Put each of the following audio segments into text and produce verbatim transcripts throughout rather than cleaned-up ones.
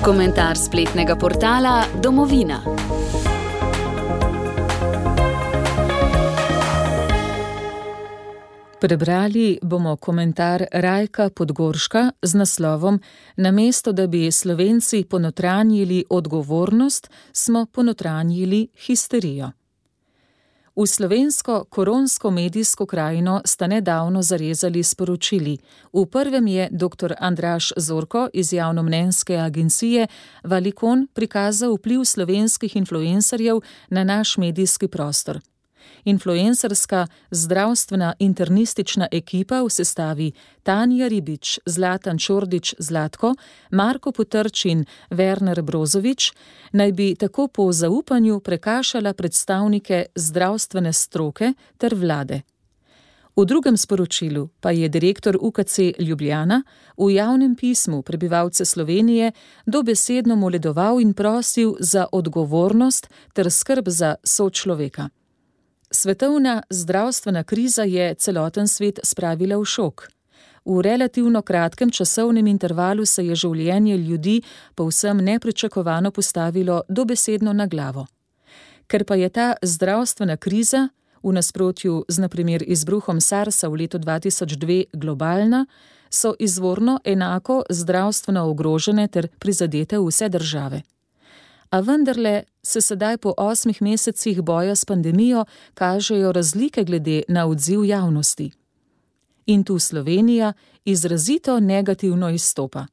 Komentar spletnega portala Domovina. Prebrali bomo komentar Rajka Podgorška z naslovom Namesto da bi Slovenci ponotranjili odgovornost, smo ponotranjili histerijo. V slovensko koronsko medijsko krajino sta nedavno zarezali sporočili. V prvem je dr. Andraž Zorko iz javnomnenjske agencije Valicon prikazal vpliv slovenskih influencerjev na naš medijski prostor. Influencerska zdravstvena internistična ekipa v sestavi Tanja Ribič, Zlatan Čordić Zlatko, Marko Potrč in Werner Brozović naj bi tako po zaupanju prekašala predstavnike zdravstvene stroke ter vlade. V drugem sporočilu pa je direktor U K C Ljubljana v javnem pismu prebivalce Slovenije dobesedno moledoval in prosil za odgovornost ter skrb za sočloveka. Svetovna zdravstvena kriza je celoten svet spravila v šok. V relativno kratkem časovnem intervalu se je življenje ljudi povsem nepričakovano postavilo dobesedno na glavo. Ker pa je ta zdravstvena kriza, v nasprotju z na primer izbruhom SARS-a v letu dva tisoč dve globalna, so izvorno enako zdravstveno ogrožene ter prizadete vse države. A vendarle se sedaj po osmih mesecih boja s pandemijo kažejo razlike glede na odziv javnosti. In tu Slovenija izrazito negativno izstopa.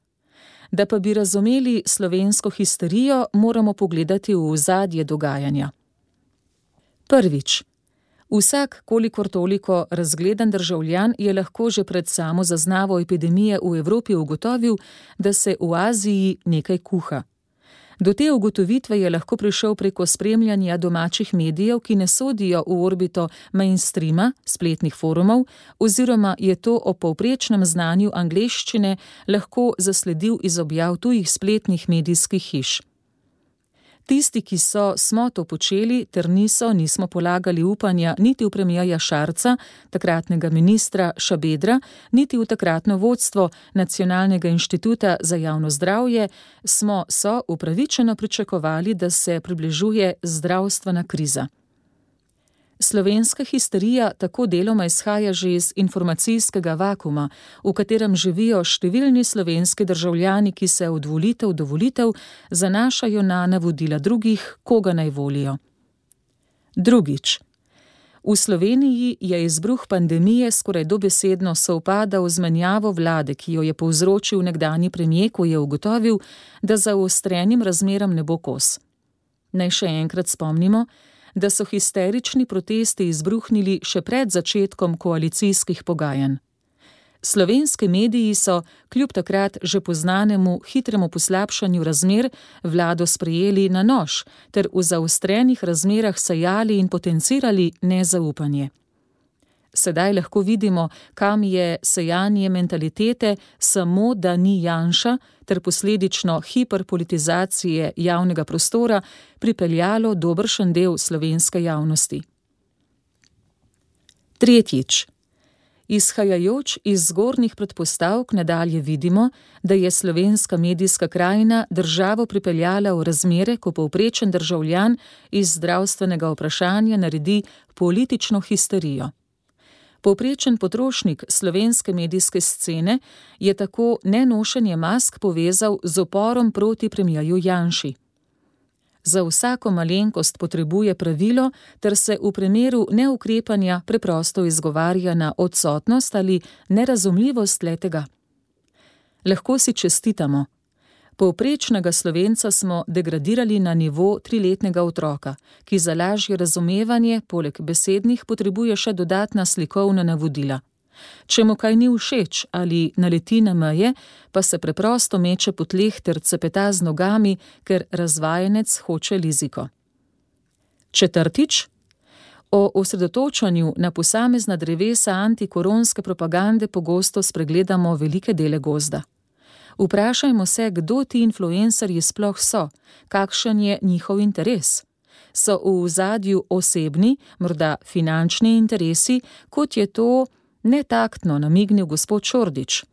Da pa bi razumeli slovensko histerijo, moramo pogledati v ozadje dogajanja. Prvič. Vsak, kolikor toliko razgledan državljan, je lahko že pred samo zaznavo epidemije v Evropi ugotovil, da se v Aziji nekaj kuha. Do te ugotovitve je lahko prišel preko spremljanja domačih medijev, ki ne sodijo v orbito mainstreama, spletnih forumov, oziroma je to o povprečnem znanju angleščine lahko zasledil iz objav tujih spletnih medijskih hiš. Tisti, ki so, smo to počeli, ter niso, nismo polagali upanja niti v premierja Šarca, takratnega ministra Šabedra, niti v takratno vodstvo Nacionalnega inštituta za javno zdravje, smo so upravičeno pričakovali, da se približuje zdravstvena kriza. Slovenska histerija tako deloma izhaja že iz informacijskega vakuma, v katerem živijo številni slovenski državljani, ki se od volitev do volitev zanašajo na navodila drugih, koga naj volijo. Drugič. V Sloveniji je izbruh pandemije skoraj dobesedno sovpadal z menjavo vlade, ki jo je povzročil nekdanji premier, ko je ugotovil, da zaostrenim razmeram ne bo kos. Naj še enkrat spomnimo, da so histerični protesti izbruhnili še pred začetkom koalicijskih pogajanj. Slovenski mediji so, kljub takrat že poznanemu hitremu poslabšanju razmer, vlado sprejeli na nož ter v zaostrenih razmerah sejali in potencirali nezaupanje. Sedaj lahko vidimo, kam je sejanje mentalitete samo da ni Janša ter posledično hiperpolitizacije javnega prostora pripeljalo dobršen del slovenske javnosti. Tretjič. Izhajajoč iz zgornjih predpostavk nadalje vidimo, da je slovenska medijska krajina državo pripeljala v razmere, ko povprečen državljan iz zdravstvenega vprašanja naredi politično histerijo. Povprečen potrošnik slovenske medijske scene je tako nenošenje mask povezal z uporom proti premierju Janši. Za vsako malenkost potrebuje pravilo, ter se v primeru neukrepanja preprosto izgovarja na odsotnost ali nerazumljivost le-tega. Lahko si čestitamo. Povprečnega Slovenca smo degradirali na nivo triletnega otroka, ki za lažje razumevanje poleg besednih potrebuje še dodatna slikovna navodila. Če mu kaj ni všeč ali naleti na meje, pa se preprosto meče po tleh ter cepeta z nogami, ker razvajenec hoče liziko. Četrtič. O osredotočanju na posamezna drevesa antikoronske propagande pogosto spregledamo velike dele gozda. Vprašajmo se, kdo ti influencerji sploh so, kakšen je njihov interes. So v ozadju osebni, morda finančni interesi, kot je to netaktno namignil gospod Čordić.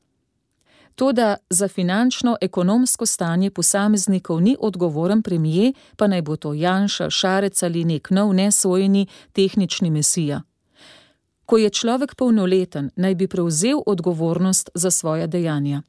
Toda za finančno-ekonomsko stanje posameznikov ni odgovoren premier, pa naj bo to Janša, Šarec ali nek nov nesojeni tehnični mesija. Ko je človek polnoleten, naj bi prevzel odgovornost za svoja dejanja.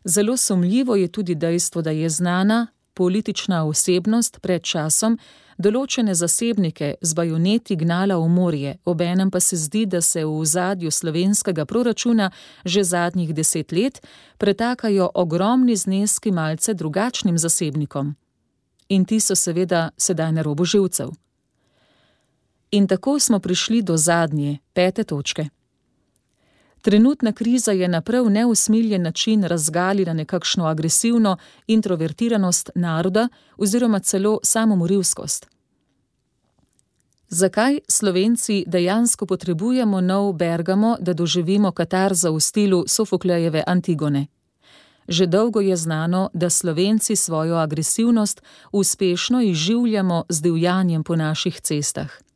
Zelo sumljivo je tudi dejstvo, da je znana politična osebnost pred časom določene zasebnike z bajoneti gnala v morje, obenem pa se zdi, da se v ozadju slovenskega proračuna že zadnjih deset let pretakajo ogromni zneski malce drugačnim zasebnikom. In ti so seveda sedaj na robu živcev. In tako smo prišli do zadnje, pete točke. Trenutna kriza je na prav neusmiljen način razgalila nekakšno agresivno introvertiranost naroda oziroma celo samomorilskost. Zakaj Slovenci dejansko potrebujemo nov Bergamo, da doživimo katarzo v stilu Sofoklejeve Antigone? Že dolgo je znano, da Slovenci svojo agresivnost uspešno izživljamo z divjanjem po naših cestah.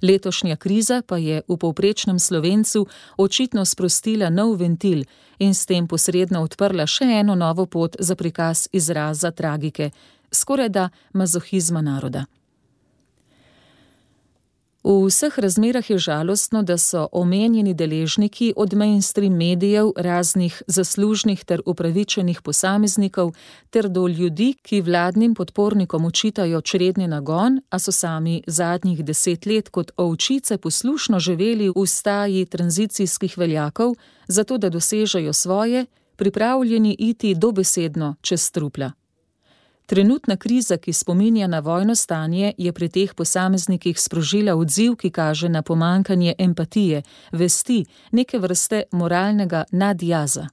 Letošnja kriza pa je v povprečnem Slovencu očitno sprostila nov ventil in s tem posredno odprla še eno novo pot za prikaz izraza tragike, skorajda mazohizma naroda. V vseh razmerah je žalostno, da so omenjeni deležniki od mainstream medijev, raznih zaslužnih ter upravičenih posameznikov ter do ljudi, ki vladnim podpornikom očitajo čredni nagon, a so sami zadnjih deset let kot ovčice poslušno živeli v staji tranzicijskih veljakov, zato da dosežejo svoje, pripravljeni iti dobesedno čez trupla. Trenutna kriza, ki spominja na vojno stanje, je pri teh posameznikih sprožila odziv, ki kaže na pomanjkanje empatije, vesti, neke vrste moralnega nadjaza.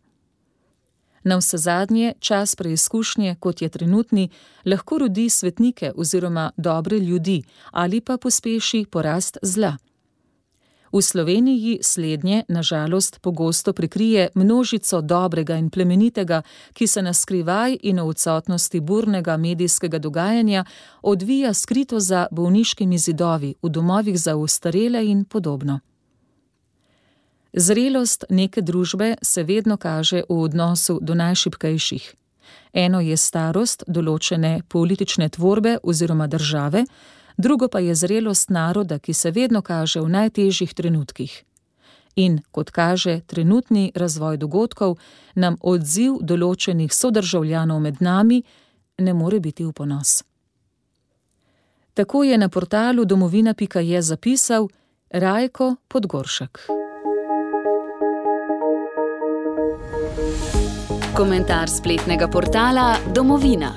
Navsezadnje, čas preizkušnje, kot je trenutni, lahko rodi svetnike oziroma dobre ljudi ali pa pospeši porast zla. V Sloveniji slednje, na žalost, pogosto prikrije množico dobrega in plemenitega, ki se na skrivaj in v odsotnosti burnega medijskega dogajanja odvija skrito za bolniškimi zidovi, v domovih za ostarele in podobno. Zrelost neke družbe se vedno kaže v odnosu do najšibkejših. Eno je starost določene politične tvorbe oziroma države, drugo pa je zrelost naroda, ki se vedno kaže v najtežjih trenutkih. In, kot kaže trenutni razvoj dogodkov, nam odziv določenih sodržavljanov med nami ne more biti v ponos. Tako je na portalu domovina pika je zapisal Rajko Podgoršek. Komentar spletnega portala Domovina.